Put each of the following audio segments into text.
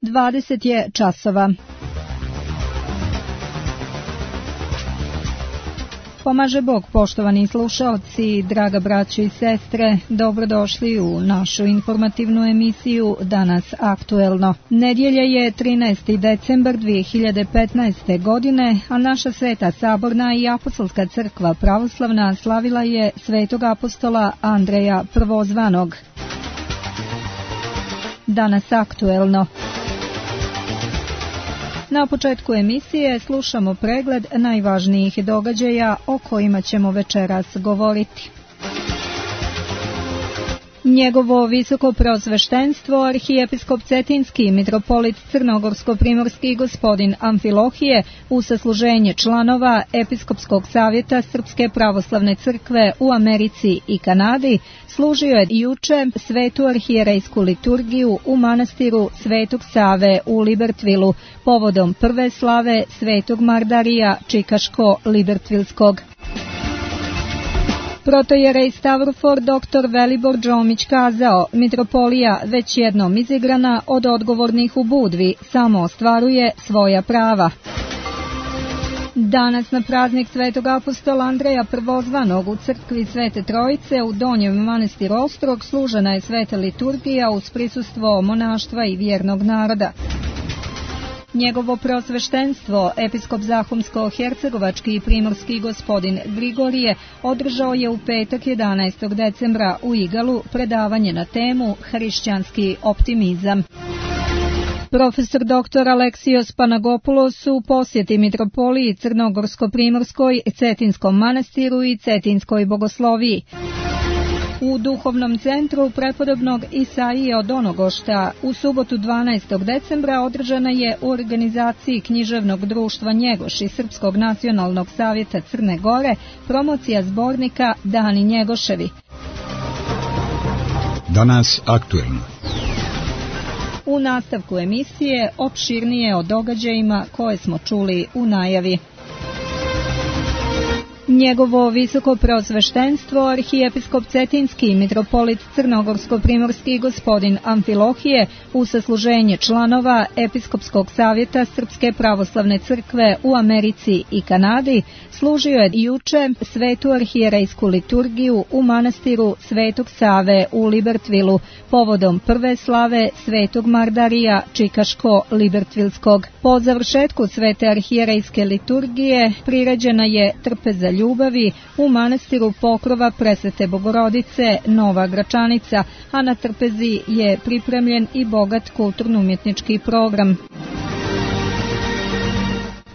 20 je časova. Pomaže Bog, poštovani slušaoci, draga braćo i sestre, dobrodošli u našu informativnu emisiju Danas aktuelno. Nedjelja je 13. decembar 2015. godine, a naša Sveta Saborna i Apostolska crkva pravoslavna slavila je svetog apostola Andreja Prvozvanog. Danas aktuelno. Na početku emisije slušamo pregled najvažnijih događaja o kojima ćemo večeras govoriti. Njegovo visoko preosveštenstvo, arhijepiskop Cetinski, mitropolit Crnogorsko-primorski gospodin Amfilohije, u sasluženje članova Episkopskog savjeta Srpske pravoslavne crkve u Americi i Kanadi, služio je juče svetu arhijerejsku liturgiju u manastiru Svetog Save u Libertvilu, povodom prve slave Svetog Mardarija Čikaško-Libertvilskog. Protojerej Stavrofor dr. Velibor Đomić kazao: mitropolija, već jednom izigrana od odgovornih u Budvi, samo ostvaruje svoja prava. Danas na praznik svetog apostola Andreja Prvozvanog u crkvi Svete Trojice u Donjem manastiru Ostrog služena je sveta liturgija uz prisustvo monaštva i vjernog naroda. Njegovo preosveštenstvo, episkop Zahumsko-hercegovački i primorski gospodin Grigorije, održao je u petak 11. decembra u Igalu predavanje na temu Hrišćanski optimizam. Profesor dr. Aleksijos Panagopoulos u posjeti mitropoliji Crnogorsko-primorskoj, Cetinskom manastiru i Cetinskoj bogosloviji. U duhovnom centru prepodobnog Isaije od Onogošta u subotu 12. decembra održana je u organizaciji književnog društva Njegoš i Srpskog nacionalnog savjeta Crne Gore promocija zbornika Dani Njegoševi. Danas aktuelno. U nastavku emisije opširnije o događajima koje smo čuli u najavi. Njegovo visoko preosveštenstvo, arhijepiskop Cetinski, mitropolit Crnogorsko-primorski gospodin Amfilohije, u sasluženje članova Episkopskog savjeta Srpske pravoslavne crkve u Americi i Kanadi, služio je juče svetu arhijerejsku liturgiju u manastiru Svetog Save u Libertvilu, povodom prve slave Svetog Mardarija Čikaško-Libertvilskog. Po završetku svete arhijerejske liturgije priređena je trpeza ljubavi u manastiru Pokrova Presvete Bogorodice Nova Gračanica, a na trpezi je pripremljen i bogat kulturno-umjetnički program.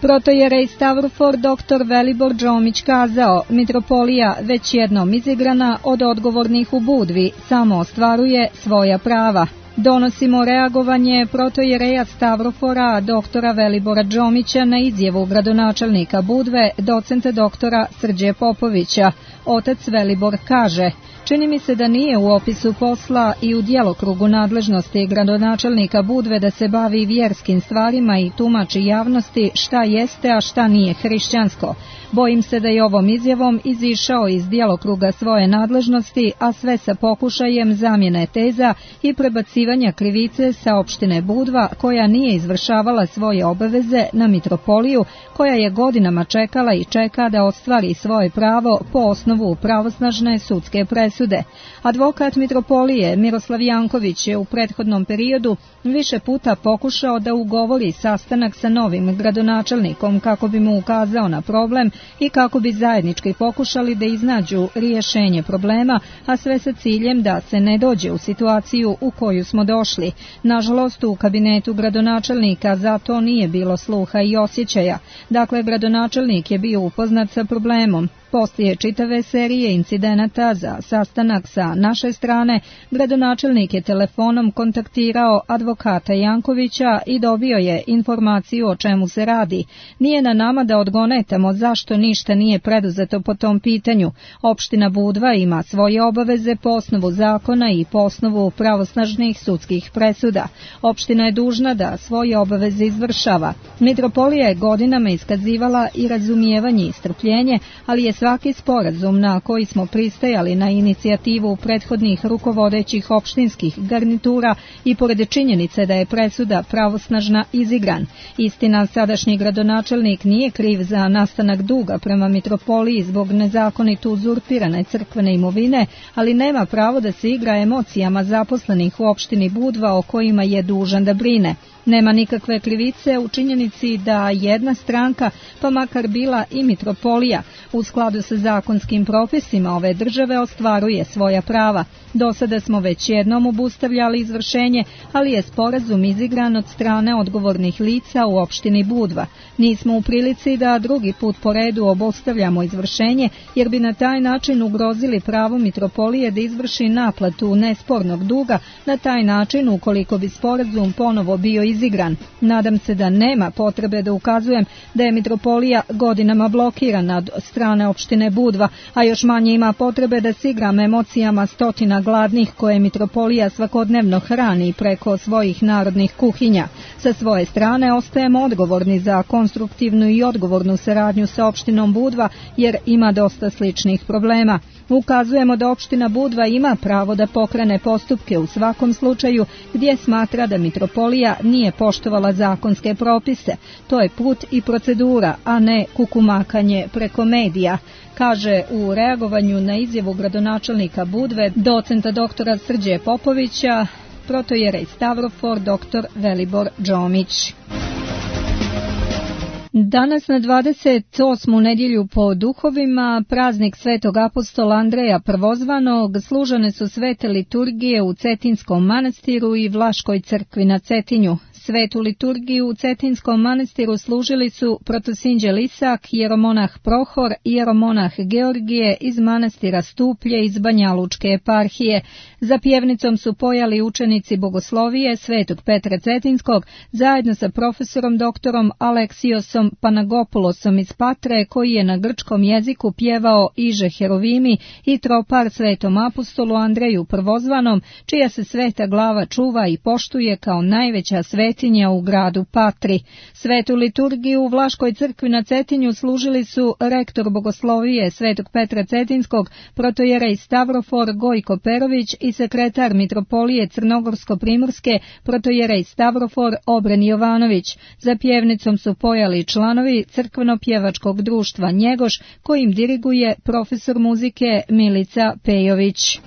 Protojerej Stavrofor dr. Velibor Đomić kazao: mitropolija, već jednom izigrana od odgovornih u Budvi, samo ostvaruje svoja prava. Donosimo reagovanje protojereja Stavrofora dr. Velibora Đomića na izjavu gradonačelnika Budve, docenta doktora Srđe Popovića. Otac Velibor kaže: čini mi se da nije u opisu posla i u djelokrugu nadležnosti gradonačelnika Budve da se bavi vjerskim stvarima i tumači javnosti šta jeste, a šta nije hrišćansko. Bojim se da je ovom izjavom izišao iz djelokruga svoje nadležnosti, a sve sa pokušajem zamjene teza i prebacivanja krivice sa opštine Budva, koja nije izvršavala svoje obaveze, na mitropoliju, koja je godinama čekala i čeka da ostvari svoje pravo po osnovu pravosnažne sudske presude. Advokat mitropolije Miroslav Janković je u prethodnom periodu više puta pokušao da ugovori sastanak sa novim gradonačelnikom kako bi mu ukazao na problem i kako bi zajednički pokušali da iznađu rješenje problema, a sve sa ciljem da se ne dođe u situaciju u koju smo došli. Nažalost, u kabinetu gradonačelnika za to nije bilo sluha i osjećaja. Dakle, gradonačelnik je bio upoznat sa problemom. Poslije čitave serije incidenata za sastanak sa naše strane, gradonačelnik je telefonom kontaktirao advokata Jankovića i dobio je informaciju o čemu se radi. Nije na nama da odgonetamo zašto ništa nije preduzeto po tom pitanju. Opština Budva ima svoje obaveze po osnovu zakona i po osnovu pravosnažnih sudskih presuda. Opština je dužna da svoje obaveze izvršava. Mitropolija je godinama iskazivala i razumijevanje i strpljenje, ali je svaki sporazum na koji smo pristajali na inicijativu prethodnih rukovodećih opštinskih garnitura i pored činjenice da je presuda pravosnažna izigran. Istina, sadašnji gradonačelnik nije kriv za nastanak duga prema mitropoliji zbog nezakonito uzurpirane crkvene imovine, ali nema pravo da se igra emocijama zaposlenih u opštini Budva o kojima je dužan da brine. Nema nikakve krivice u činjenici da jedna stranka, pa makar bila i mitropolija, u skladu sa zakonskim propisima ove države ostvaruje svoja prava. Do sada smo već jednom obustavljali izvršenje, ali je sporazum izigran od strane odgovornih lica u opštini Budva. Nismo u prilici da drugi put po redu obustavljamo izvršenje, jer bi na taj način ugrozili pravo mitropolije da izvrši naplatu nespornog duga, na taj način ukoliko bi sporazum ponovo bio izigran. Nadam se da nema potrebe da ukazujem da je mitropolija godinama blokirana od strane opštine Budva, a još manje ima potrebe da se igram emocijama stotina gladnih koje mitropolija svakodnevno hrani preko svojih narodnih kuhinja. Sa svoje strane ostajemo odgovorni za konstruktivnu i odgovornu saradnju sa opštinom Budva, jer ima dosta sličnih problema. Ukazujemo da opština Budva ima pravo da pokrene postupke u svakom slučaju gdje smatra da mitropolija nije poštovala zakonske propise. To je put i procedura, a ne kukumakanje preko medija, kaže u reagovanju na izjavu gradonačelnika Budve, docenta doktora Srđe Popovića, protojerej Stavrofor dr. Velibor Džomić. Danas na 28. nedjelju po duhovima, praznik svetog apostola Andreja Prvozvanog, služene su svete liturgije u Cetinskom manastiru i Vlaškoj crkvi na Cetinju. Svetu liturgiju u Cetinskom manastiru služili su protosinđe Lisak, jeromonah Prohor i jeromonah Georgije iz manastira Stuplje iz Banjalučke eparhije. Za pjevnicom su pojali učenici bogoslovije Svetog Petra Cetinskog zajedno sa profesorom doktorom Aleksiosom Panagopulosom iz Patre, koji je na grčkom jeziku pjevao Iže Herovimi i tropar svetom apostolu Andreju Prvozvanom, čija se sveta glava čuva i poštuje kao najveća svetinja u gradu Patri. Svetu liturgiju u Vlaškoj crkvi na Cetinju služili su rektor bogoslovije Svetog Petra Cetinskog, protojerej Stavrofor Gojko Perović i sekretar mitropolije Crnogorsko-Primorske, protojerej Stavrofor Obren Jovanović. Za pjevnicom su pojali članovi crkveno-pjevačkog društva Njegoš, kojim diriguje profesor muzike Milica Pejović.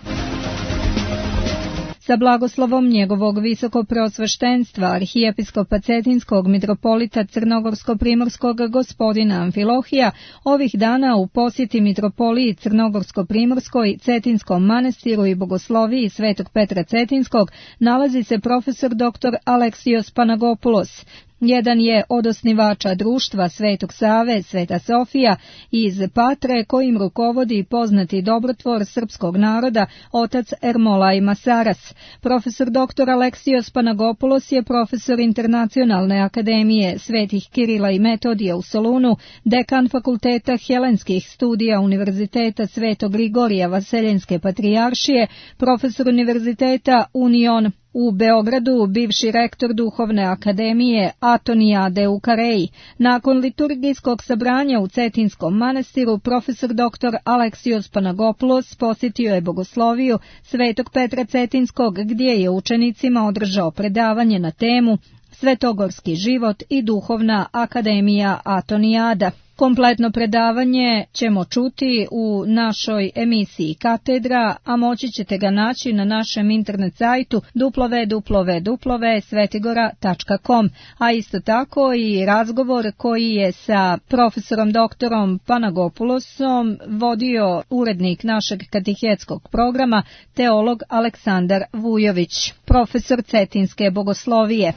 Sa blagoslovom njegovog visokopreosveštenstva arhijepiskopa Cetinskog mitropolita Crnogorsko-Primorskog gospodina Amfilohija, ovih dana u posjeti mitropoliji Crnogorsko-Primorskoj, Cetinskom manastiru i bogosloviji Svetog Petra Cetinskog nalazi se profesor dr. Aleksios Panagopulos. Jedan je od osnivača društva Svetog Save, Sveta Sofija iz Patre, kojim rukovodi poznati dobrotvor srpskog naroda, otac Ermolaj Masaras. Profesor dr. Aleksios Panagopulos je profesor Internacionalne akademije Svetih Kirila i Metodija u Solunu, dekan fakulteta helenskih studija Univerziteta Svetog Grigorija Vaseljenske patrijaršije, profesor Univerziteta Union u Beogradu, bivši rektor Duhovne akademije Atonijade u Kareji. Nakon liturgijskog sabranja u Cetinskom manastiru, profesor dr. Aleksios Panagopulos posjetio je bogosloviju Svetog Petra Cetinskog, gdje je učenicima održao predavanje na temu Svetogorski život i Duhovna akademija Atonijada. Kompletno predavanje ćemo čuti u našoj emisiji Katedra, a moći ćete ga naći na našem internet sajtu www.svetigora.com, a isto tako i razgovor koji je sa profesorom doktorom Panagopulosom vodio urednik našeg katehetskog programa, teolog Aleksandar Vujović, profesor Cetinske bogoslovije.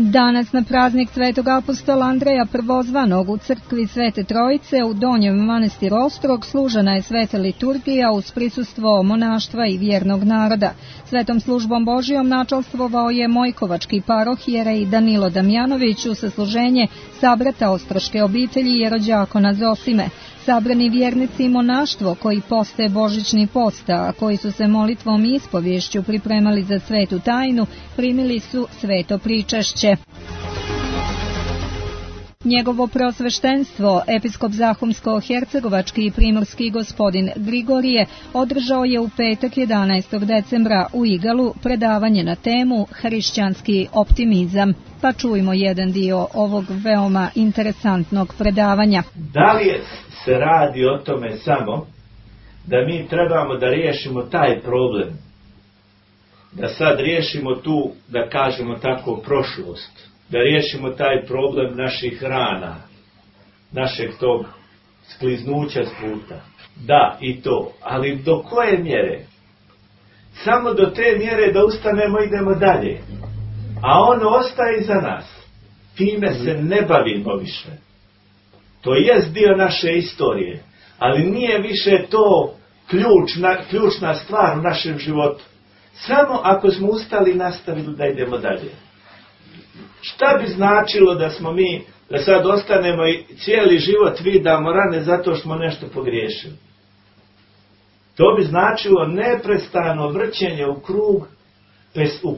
Danas na praznik svetog apostola Andreja Prvozvanog u crkvi Svete Trojice u Donjem manastiru Ostrog služena je sveta liturgija uz prisustvo monaštva i vjernog naroda. Svetom službom Božijom načalstvovao je Mojkovački paroh jerej Danilo Damjanović u sasluženje sabrata ostroške obitelji jerođakona Zosime. Sabrani vjernici i monaštvo koji poste božićni post, a koji su se molitvom i ispovješću pripremali za svetu tajnu, primili su sveto pričašće. Njegovo prosveštenstvo, episkop Zahumsko-hercegovački i primorski gospodin Grigorije, održao je u petak 11. decembra u Igalu predavanje na temu Hrišćanski optimizam. Pa čujmo jedan dio ovog veoma interesantnog predavanja. Da li se radi o tome samo da mi trebamo da riješimo taj problem? Da sad riješimo tu, da kažemo tako, prošlost. Da riješimo taj problem naših rana, našeg tog skliznuća s puta. Da, i to. Ali do koje mjere? Samo do te mjere da ustanemo i idemo dalje. A ono ostaje iza nas. Time se ne bavimo više. To jest dio naše istorije. Ali nije više to ključna stvar u našem životu. Samo ako smo ustali i nastavili da idemo dalje. Šta bi značilo da smo mi, da sad ostanemo i cijeli život vidamo rane zato što smo nešto pogriješili? To bi značilo neprestano vrćenje u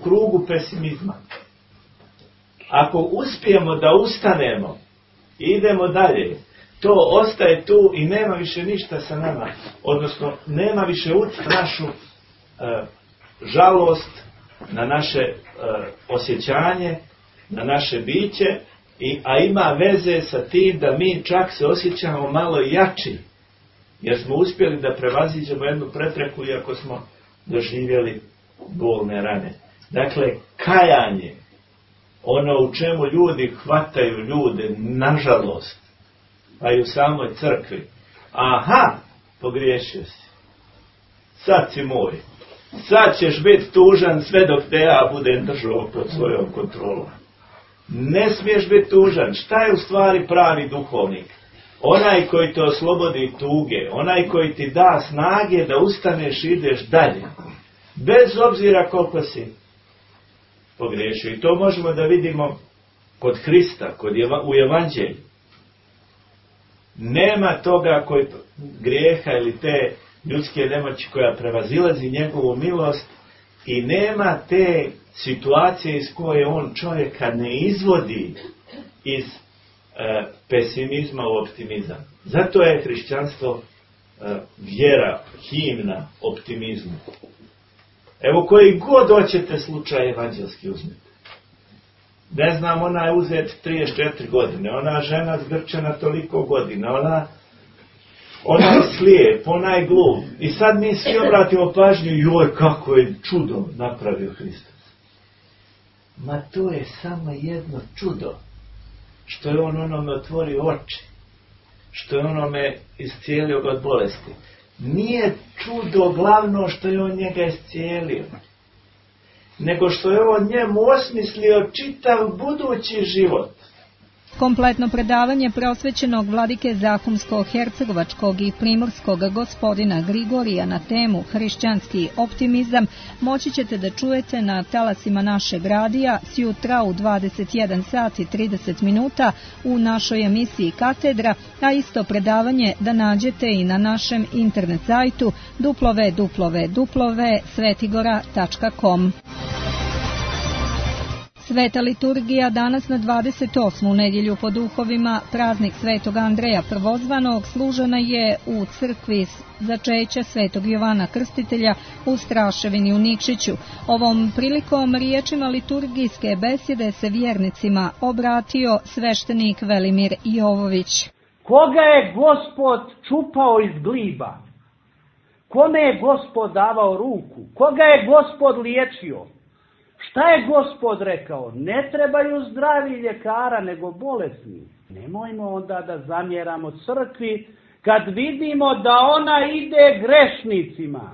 krugu pesimizma. Ako uspijemo da ustanemo i idemo dalje, to ostaje tu i nema više ništa sa nama. Odnosno, nema više našu žalost, na naše osjećanje, na naše biće, a ima veze sa tim da mi čak se osjećamo malo jači, jer smo uspjeli da prevaziđemo jednu prepreku iako smo doživjeli bolne rane. Dakle, kajanje, ono u čemu ljudi hvataju ljude, nažalost, pa i u samoj crkvi. Aha, pogriješio si. Sad si moj. Sad ćeš biti tužan sve dok te ja budem držao pod svojom kontrolom. Ne smiješ biti tužan. Šta je u stvari pravi duhovnik? Onaj koji te oslobodi tuge, onaj koji ti da snage da ustaneš i ideš dalje. Bez obzira koliko si pogriješio. I to možemo da vidimo kod Hrista, u Evanđelju. Nema toga grijeha ili te ljudske nemoći koja prevazilazi njegovu milost i nema te situacije iz koje on čovjeka ne izvodi iz pesimizma u optimizam. Zato je hrišćanstvo vjera, himna optimizmu. Evo koji god hoćete slučaj evanđelski uzmite. Ne znam, ona je uzet 34 godine, ona žena zgrčena toliko godina, ona je slijep, ona je glup. I sad mi svi obratimo pažnju, joj, kako je čudo napravio Hristos. Ma to je samo jedno čudo. Što je on onome otvorio oči. Što je onome iscijelio od bolesti. Nije čudo glavno što je on njega iscijelio. Nego što je on njemu osmislio čitav budući život. Kompletno predavanje prosvećenog vladike Zahumsko-hercegovačkog i primorskog gospodina Grigorija na temu Hrišćanski optimizam moći ćete da čujete na talasima našeg radija sjutra u 21 sat i 30 minuta u našoj emisiji Katedra, a isto predavanje da nađete i na našem internet sajtu www.svetigora.com. Sveta liturgija danas na 28. nedjelju po duhovima, praznik Svetog Andreja Prvozvanog, služena je u crkvi začeća Svetog Jovana Krstitelja u Straševini u Nikšiću. Ovom prilikom riječima liturgijske besjede se vjernicima obratio sveštenik Velimir Jovović. Koga je Gospod čupao iz gliba? Kome je Gospod davao ruku? Koga je Gospod liječio? Šta je Gospod rekao? Ne trebaju zdravi ljekara, nego bolesni. Nemojmo onda da zamjeramo crkvi kad vidimo da ona ide grešnicima.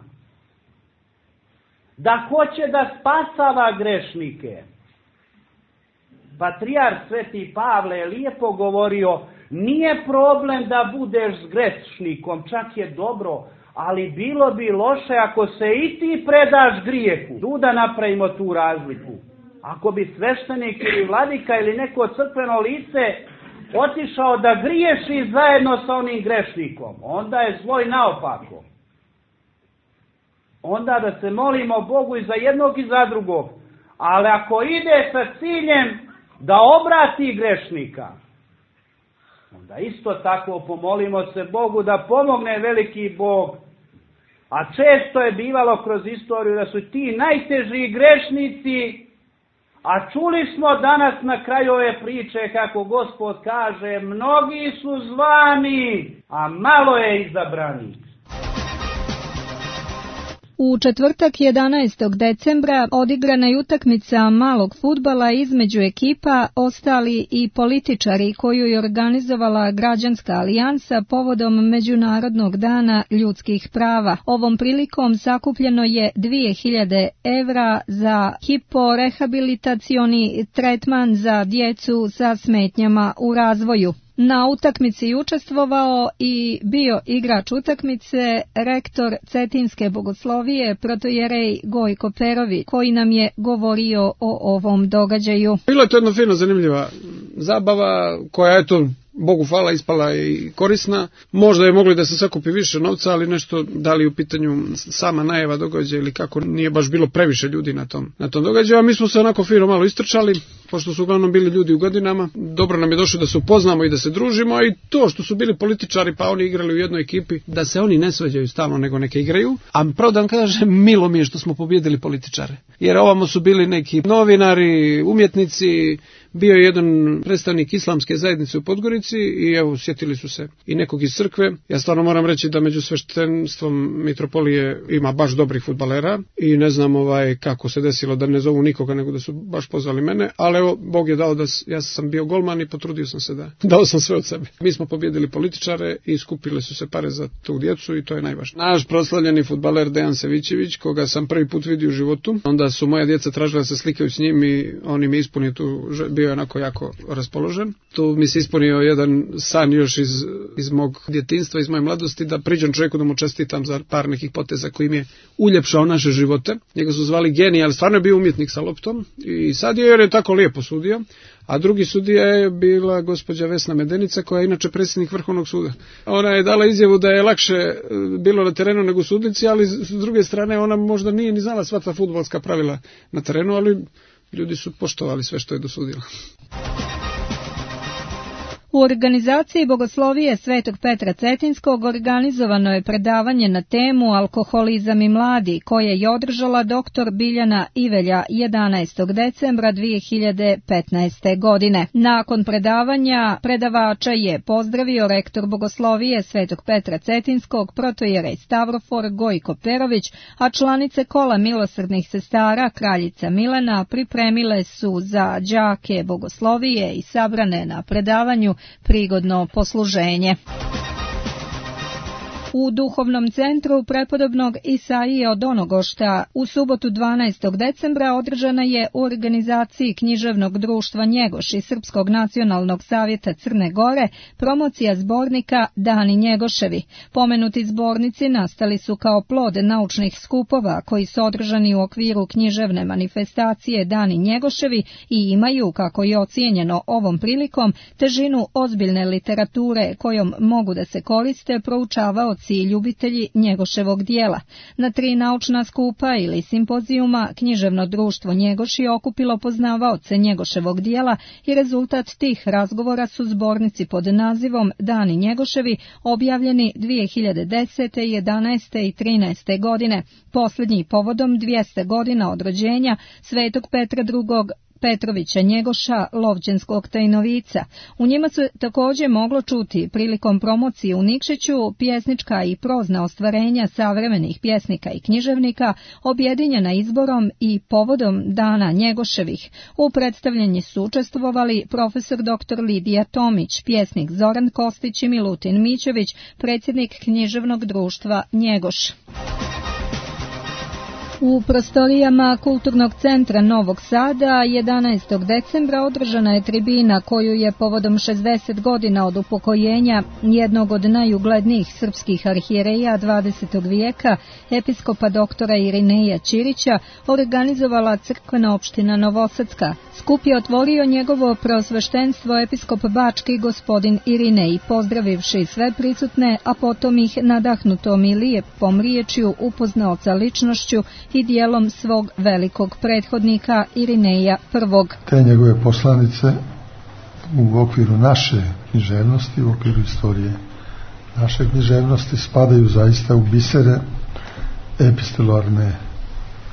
Da hoće da spasava grešnike. Patrijarh Sveti Pavle je lijepo govorio, nije problem da budeš s grešnikom, čak je dobro, ali bilo bi loše ako se i ti predaš grijehu. Tu da napravimo tu razliku. Ako bi sveštenik ili vladika ili neko crkveno lice otišao da griješi zajedno sa onim grešnikom, onda je zloj naopako. Onda da se molimo Bogu i za jednog i za drugog. Ali ako ide sa ciljem da obrati grešnika, onda isto tako pomolimo se Bogu da pomogne veliki Bog. A često je bivalo kroz istoriju da su ti najteži grešnici, a čuli smo danas na kraju ove priče kako Gospod kaže, mnogi su zvani, a malo je izabranih. U četvrtak 11. decembra odigrana je utakmica malog fudbala između ekipa, ostali i političari koju je organizovala Građanska alijansa povodom Međunarodnog dana ljudskih prava. Ovom prilikom sakupljeno je 2000 evra za hiporehabilitacioni tretman za djecu sa smetnjama u razvoju. Na utakmici učestvovao i bio igrač utakmice rektor Cetinske bogoslovije protojerej Gojko Perović, koji nam je govorio o ovom događaju. Bila je to jedna fina, zanimljiva zabava koja eto, Bogu hvala, ispala i korisna. Možda je mogli da se sakupi više novca, ali nešto, da li u pitanju sama najava događaja ili kako, nije baš bilo previše ljudi na tom događaju, a mi smo se onako fino malo istrčali, pošto su uglavnom bili ljudi u godinama. Dobro nam je došlo da se upoznamo i da se družimo, a i to što su bili političari pa oni igrali u jednoj ekipi, da se oni ne svađaju stalno nego neke igraju. A pravo da vam kažem, milo mi je što smo pobjedili političare, jer ovamo su bili neki novinari, umjetnici, bio je jedan predstavnik islamske zajednice u Podgorici i evo, sjetili su se i nekog iz crkve. Ja stvarno moram reći da među sveštenstvom mitropolije ima baš dobrih fudbalera i ne znam kako se desilo da ne zovu nikoga, nego da su baš pozvali mene, ali evo, Bog je dao da ja sam bio golman i potrudio sam se da dao sam sve od sebe. Mi smo pobjedili političare i skupile su se pare za tu djecu i to je najvažnije. Naš proslavljeni fudbaler Dejan Savićević, koga sam prvi put vidio u životu, onda su moja djeca tražila da se slikaju s njim i on im je ispunio tu, bio je onako jako raspoložen. Tu mi se ispunio jedan san još iz mog djetinjstva, iz moje mladosti, da priđem čovjeku da mu čestitam za par nekih poteza koji mi je uljepšao naše živote. Njega su zvali genij, ali stvarno je bio umjetnik sa loptom i sad jer je tako lijepo sudio. A drugi sudija je bila gospođa Vesna Medenica, koja je inače predsjednik Vrhovnog suda. Ona je dala izjavu da je lakše bilo na terenu nego u sudnici, ali s druge strane ona možda nije ni znala sva ta fudbalska pravila na terenu, ali ljudi su poštovali sve što je dosudila. U organizaciji Bogoslovije Svetog Petra Cetinskog organizovano je predavanje na temu Alkoholizam i mladi, koje je održala dr. Biljana Ivelja 11. decembra 2015. godine. Nakon predavanja predavača je pozdravio rektor Bogoslovije Svetog Petra Cetinskog protojerej Stavrofor Gojko Perović, a članice kola milosrdnih sestara Kraljica Milena pripremile su za đake Bogoslovije i sabrane na predavanju prigodno posluženje. U duhovnom centru prepodobnog Isaije od Onogošta u subotu 12. decembra održana je u organizaciji književnog društva Njegoš i Srpskog nacionalnog savjeta Crne Gore promocija zbornika Dani Njegoševi. Pomenuti zbornici nastali su kao plod naučnih skupova koji su održani u okviru književne manifestacije Dani Njegoševi i imaju, kako je ocijenjeno ovom prilikom, težinu ozbiljne literature kojom mogu da se koriste proučavaoci i ljubitelji Njegoševog dijela. Na 3 naučna skupa ili simpozijuma književno društvo Njegoš je okupilo poznavaoce Njegoševog dijela i rezultat tih razgovora su zbornici pod nazivom Dani Njegoševi objavljeni 2010., 11. i 13. godine, posljednji povodom 200 godina od rođenja Svetog Petra II. Petrovića Njegoša, Lovćenskog Tajnovica. U njima se također moglo čuti prilikom promocije u Nikšiću pjesnička i prozna ostvarenja savremenih pjesnika i književnika, objedinjena izborom i povodom Dana Njegoševih. U predstavljanju su učestvovali profesor dr. Lidija Tomić, pjesnik Zoran Kostić i Milutin Mićević, predsjednik književnog društva Njegoš. U prostorijama Kulturnog centra Novog Sada 11. decembra održana je tribina koju je povodom 60 godina od upokojenja jednog od najuglednijih srpskih arhijereja 20. vijeka, episkopa doktora Irineja Ćirića, organizovala crkvena opština Novosadska. Skup je otvorio njegovo preosveštenstvo episkop Bački gospodin Irinej, pozdravivši sve prisutne, a potom ih nadahnutom i lijepom riječju upoznao sa ličnošću i dijelom svog velikog prethodnika Irineja I. Te njegove poslanice u okviru naše književnosti, u okviru istorije naše književnosti spadaju zaista u bisere epistolarne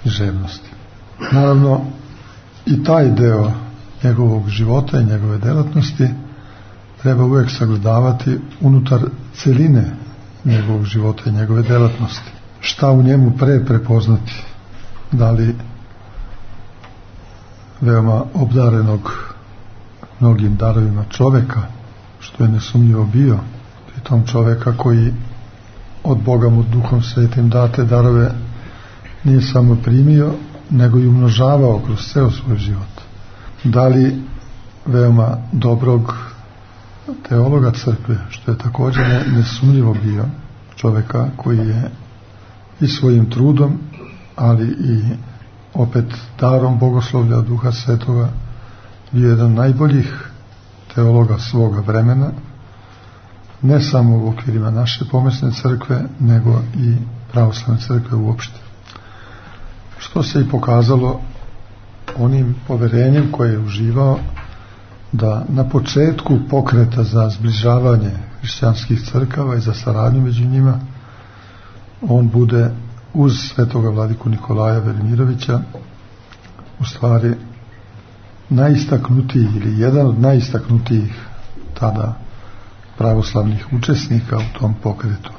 književnosti. Naravno, i taj deo njegovog života i njegove delatnosti treba uvijek sagledavati unutar celine njegovog života i njegove delatnosti. Šta u njemu prepoznati? Da li veoma obdarenog mnogim darovima čoveka, što je nesumnjivo bio, pritom čoveka koji od Boga mu Duhom Svetim date darove nije samo primio, nego i umnožavao kroz ceo svoj život. Da li veoma dobrog teologa crkve, što je također nesumnjivo bio, čoveka koji je i svojim trudom, ali i opet darom bogoslovlja od Duha Svetoga bio jedan od najboljih teologa svoga vremena, ne samo u okvirima naše pomesne crkve, nego i pravoslavne crkve uopšte. Što se i pokazalo onim poverenjem koje je uživao da na početku pokreta za zbližavanje hrišćanskih crkava i za saradnju među njima on bude uz svetoga vladiku Nikolaja Velimirovića u stvari najistaknutiji ili jedan od najistaknutijih tada pravoslavnih učesnika u tom pokretu.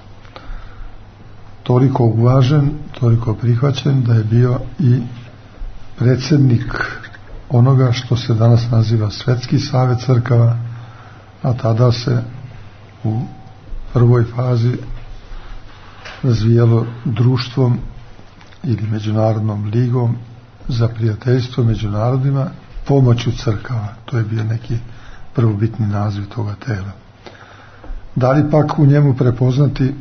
Toliko uvažen, toliko prihvaćen da je bio i predsjednik onoga što se danas naziva Svetski savet crkava, a tada se u prvoj fazi razvijalo društvom ili međunarodnom ligom za prijateljstvo među narodima pomoću crkava. To je bio neki prvobitni naziv toga tela. Da li pak u njemu prepoznati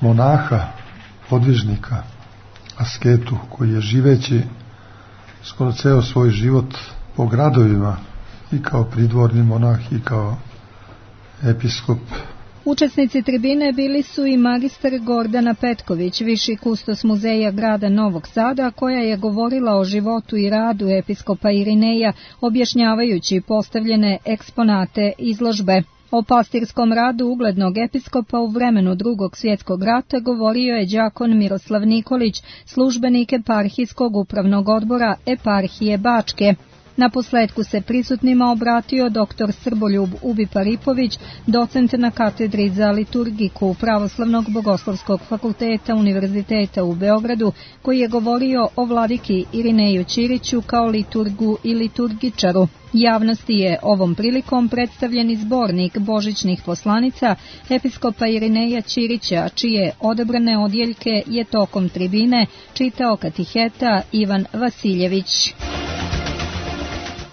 monaha, podvižnika, asketu, koji je živeći skoro ceo svoj život po gradovima i kao pridvorni monah i kao episkop. Učesnici tribine bili su i magistar Gordana Petković, viši kustos muzeja grada Novog Sada, koja je govorila o životu i radu episkopa Irineja, objašnjavajući postavljene eksponate izložbe. O pastirskom radu uglednog episkopa u vremenu Drugog svjetskog rata govorio je đakon Miroslav Nikolić, službenik eparhijskog upravnog odbora eparhije Bačke. Naposletku se prisutnima obratio dr. Srboljub Ubi-Paripović, docent na katedri za liturgiku Pravoslavnog bogoslovskog fakulteta Univerziteta u Beogradu, koji je govorio o vladiki Irineju Ćiriću kao liturgu i liturgičaru. Javnosti je ovom prilikom predstavljen zbornik božićnih poslanica episkopa Irineja Ćirića, čije odabrane odjeljke je tokom tribine čitao katiheta Ivan Vasiljević.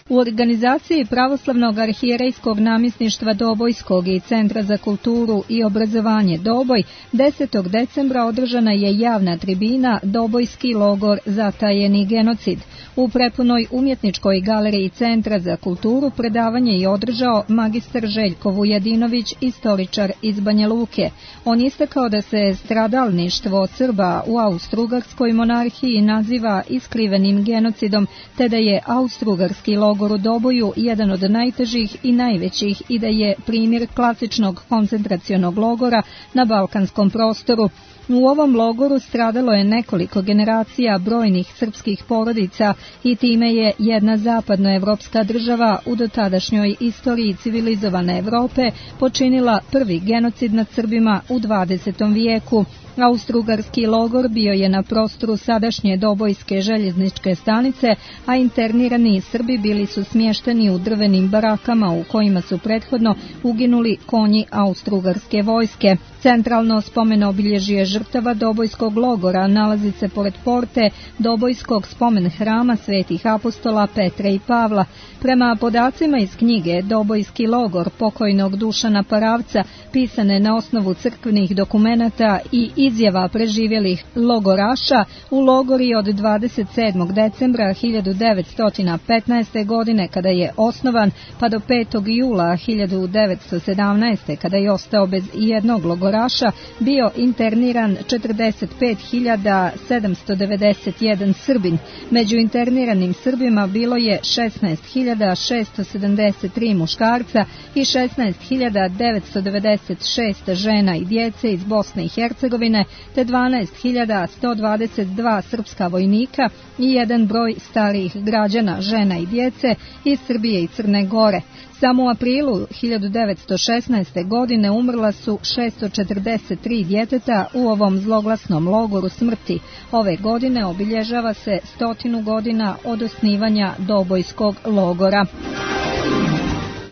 U organizaciji Pravoslavnog arhijerejskog namjesništva Dobojskog i Centra za kulturu i obrazovanje Doboj 10. decembra održana je javna tribina Dobojski logor zatajeni genocid. U prepunoj umjetničkoj galeriji Centra za kulturu predavanje je održao magistar Željko Vujadinović, istoričar iz Banja Luke. On istakao da se stradalništvo Srba u Austrougarskoj monarhiji naziva iskrivenim genocidom, te da je Austrougarski logor u Doboju jedan od najtežih i najvećih i da je primjer klasičnog koncentracionog logora na balkanskom prostoru. U ovom logoru stradalo je nekoliko generacija brojnih srpskih porodica i time je jedna zapadnoevropska država u dotadašnjoj istoriji civilizovane Evrope počinila prvi genocid nad Srbima u 20. vijeku. Austrougarski logor bio je na prostoru sadašnje Dobojske željezničke stanice, a internirani Srbi bili su smješteni u drvenim barakama u kojima su prethodno uginuli konji Austrougarske vojske. Centralno spomen obilježje žrtava Dobojskog logora nalazi se pored porte Dobojskog spomen hrama svetih apostola Petra i Pavla. Prema podacima iz knjige Dobojski logor pokojnog Dušana Paravca, pisane na osnovu crkvenih dokumenata i izjava preživjelih logoraša, u logori od 27. decembra 1915. godine kada je osnovan, pa do 5. jula 1917. kada je ostao bez jednog logoraša, logoraša bio interniran 45.791 Srbin. Među interniranim Srbima bilo je 16.673 muškarca i 16.996 žena i djece iz Bosne i Hercegovine, te 12.122 srpska vojnika i jedan broj starijih građana, žena i djece iz Srbije i Crne Gore. Samo u aprilu 1916. godine umrla su 643 djeteta u ovom zloglasnom logoru smrti. Ove godine obilježava se 100 godina od osnivanja Dobojskog logora.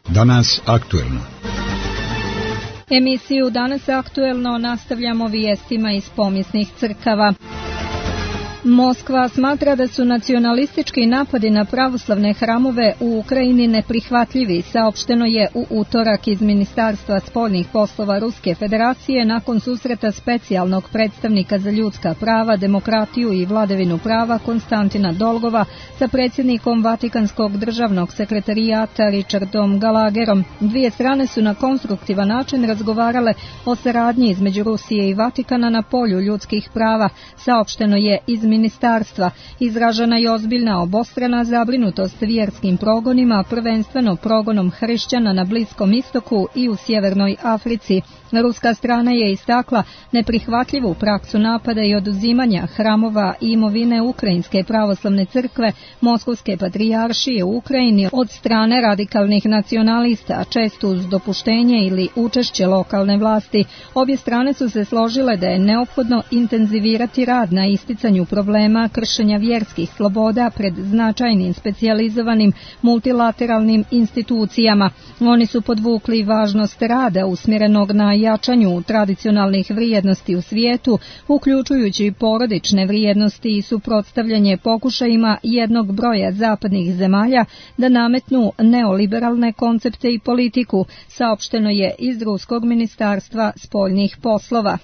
Danas aktuelno. Emisiju Danas aktuelno nastavljamo vijestima iz pomijesnih crkava. Moskva smatra da su nacionalistički napadi na pravoslavne hramove u Ukrajini neprihvatljivi, saopšteno je u utorak iz Ministarstva spoljnih poslova Ruske federacije nakon susreta specijalnog predstavnika za ljudska prava, demokratiju i vladavinu prava Konstantina Dolgova sa predsjednikom Vatikanskog državnog sekretarijata Richardom Gallagherom. Dvije strane su na konstruktivan način razgovarale o saradnji između Rusije i Vatikana na polju ljudskih prava, saopšteno je iz ministarstva. Izražena je ozbiljna obostrana zabrinutost vjerskim progonima, prvenstveno progonom hrišćana na Bliskom istoku i u Sjevernoj Africi. Ruska strana je istakla neprihvatljivu praksu napada i oduzimanja hramova i imovine Ukrajinske pravoslavne crkve, Moskovske patrijaršije u Ukrajini od strane radikalnih nacionalista, često uz dopuštenje ili učešće lokalne vlasti. Obje strane su se složile da je neophodno intenzivirati rad na isticanju problema kršenja vjerskih sloboda pred značajnim specijalizovanim multilateralnim institucijama. Oni su podvukli važnost rada usmjerenog na jačanju tradicionalnih vrijednosti u svijetu, uključujući porodične vrijednosti i suprotstavljanje pokušajima jednog broja zapadnih zemalja da nametnu neoliberalne koncepte i politiku, saopšteno je iz Ruskog ministarstva spoljnih poslova.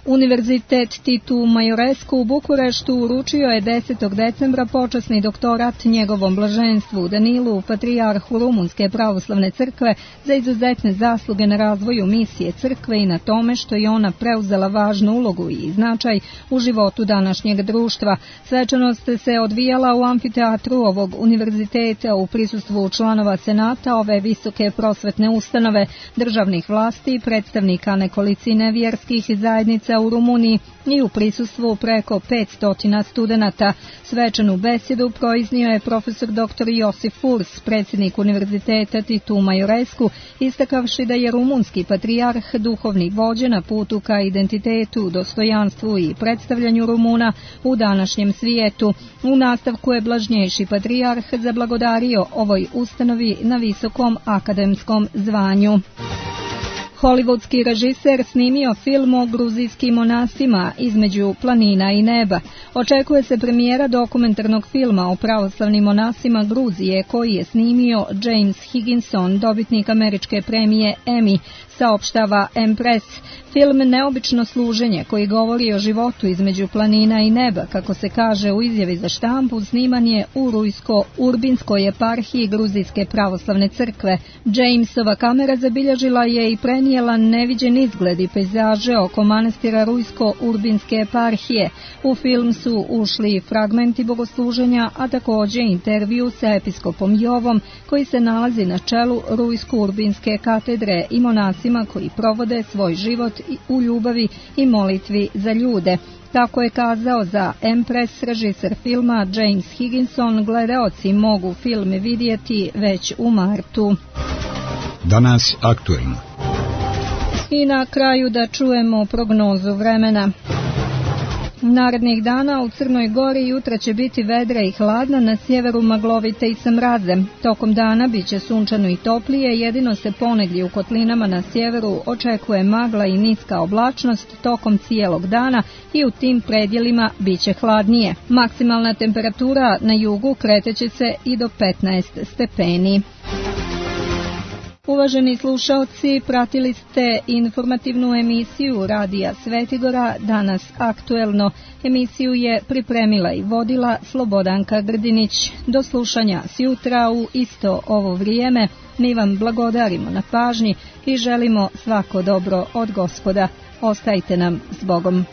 Univerzitet Titu Majorescu u Bukureštu uručio je 10. decembra počasni doktorat njegovom blaženstvu Danilu, patrijarhu Rumunske pravoslavne crkve, za izuzetne zasluge na razvoju misije crkve i na tome što je ona preuzela važnu ulogu i značaj u životu današnjeg društva. Svečanost se odvijala u amfiteatru ovog univerziteta u prisustvu članova senata ove visoke prosvetne ustanove, državnih vlasti, predstavnika nekolicine vjerskih zajednica u Rumuniji i u prisustvu preko 500 studenata. Svečanu besedu proiznio je profesor dr. Josif Furs, predsjednik Univerziteta Titu Majorescu, istakavši da je rumunski patrijarh duhovni vođa na putu ka identitetu, dostojanstvu i predstavljanju Rumuna u današnjem svijetu. U nastavku je blažnjejši patrijarh zablagodario ovoj ustanovi na visokom akademskom zvanju. Hollywoodski režiser snimio film o gruzijskim monasima između planina i neba. Očekuje se premijera dokumentarnog filma o pravoslavnim monasima Gruzije koji je snimio James Higginson, dobitnik američke premije Emmy, saopštava Empress. Film Neobično služenje, koji govori o životu između planina i neba, kako se kaže u izjavi za štampu, sniman je u Rujsko-Urbinskoj eparhiji Gruzijske pravoslavne crkve. Jamesova kamera zabilježila je i prenijela neviđen izgled i pejzaže oko manastira Rujsko-Urbinske eparhije. U film su ušli fragmenti bogosluženja, a također intervju sa episkopom Jovom, koji se nalazi na čelu Rujsko-Urbinske katedre, i monasima koji provode svoj život u ljubavi i molitvi za ljude. Tako je kazao za Empress režiser filma James Higginson. Gledaoci mogu film vidjeti već u martu. Danas aktuelno. I na kraju da čujemo prognozu vremena. Narednih dana u Crnoj Gori jutra će biti vedra i hladna, na sjeveru maglovite i sa mrazem. Tokom dana biće sunčano i toplije, jedino se ponegdje u kotlinama na sjeveru očekuje magla i niska oblačnost tokom cijelog dana i u tim predjelima biće hladnije. Maksimalna temperatura na jugu kreteće se i do 15 stepeni. Uvaženi slušaoci, pratili ste informativnu emisiju Radija Svetigora, danas aktuelno. Emisiju je pripremila i vodila Slobodanka Grdinić. Do slušanja sjutra u isto ovo vrijeme. Mi vam blagodarimo na pažnji i želimo svako dobro od Gospoda. Ostajte nam s Bogom.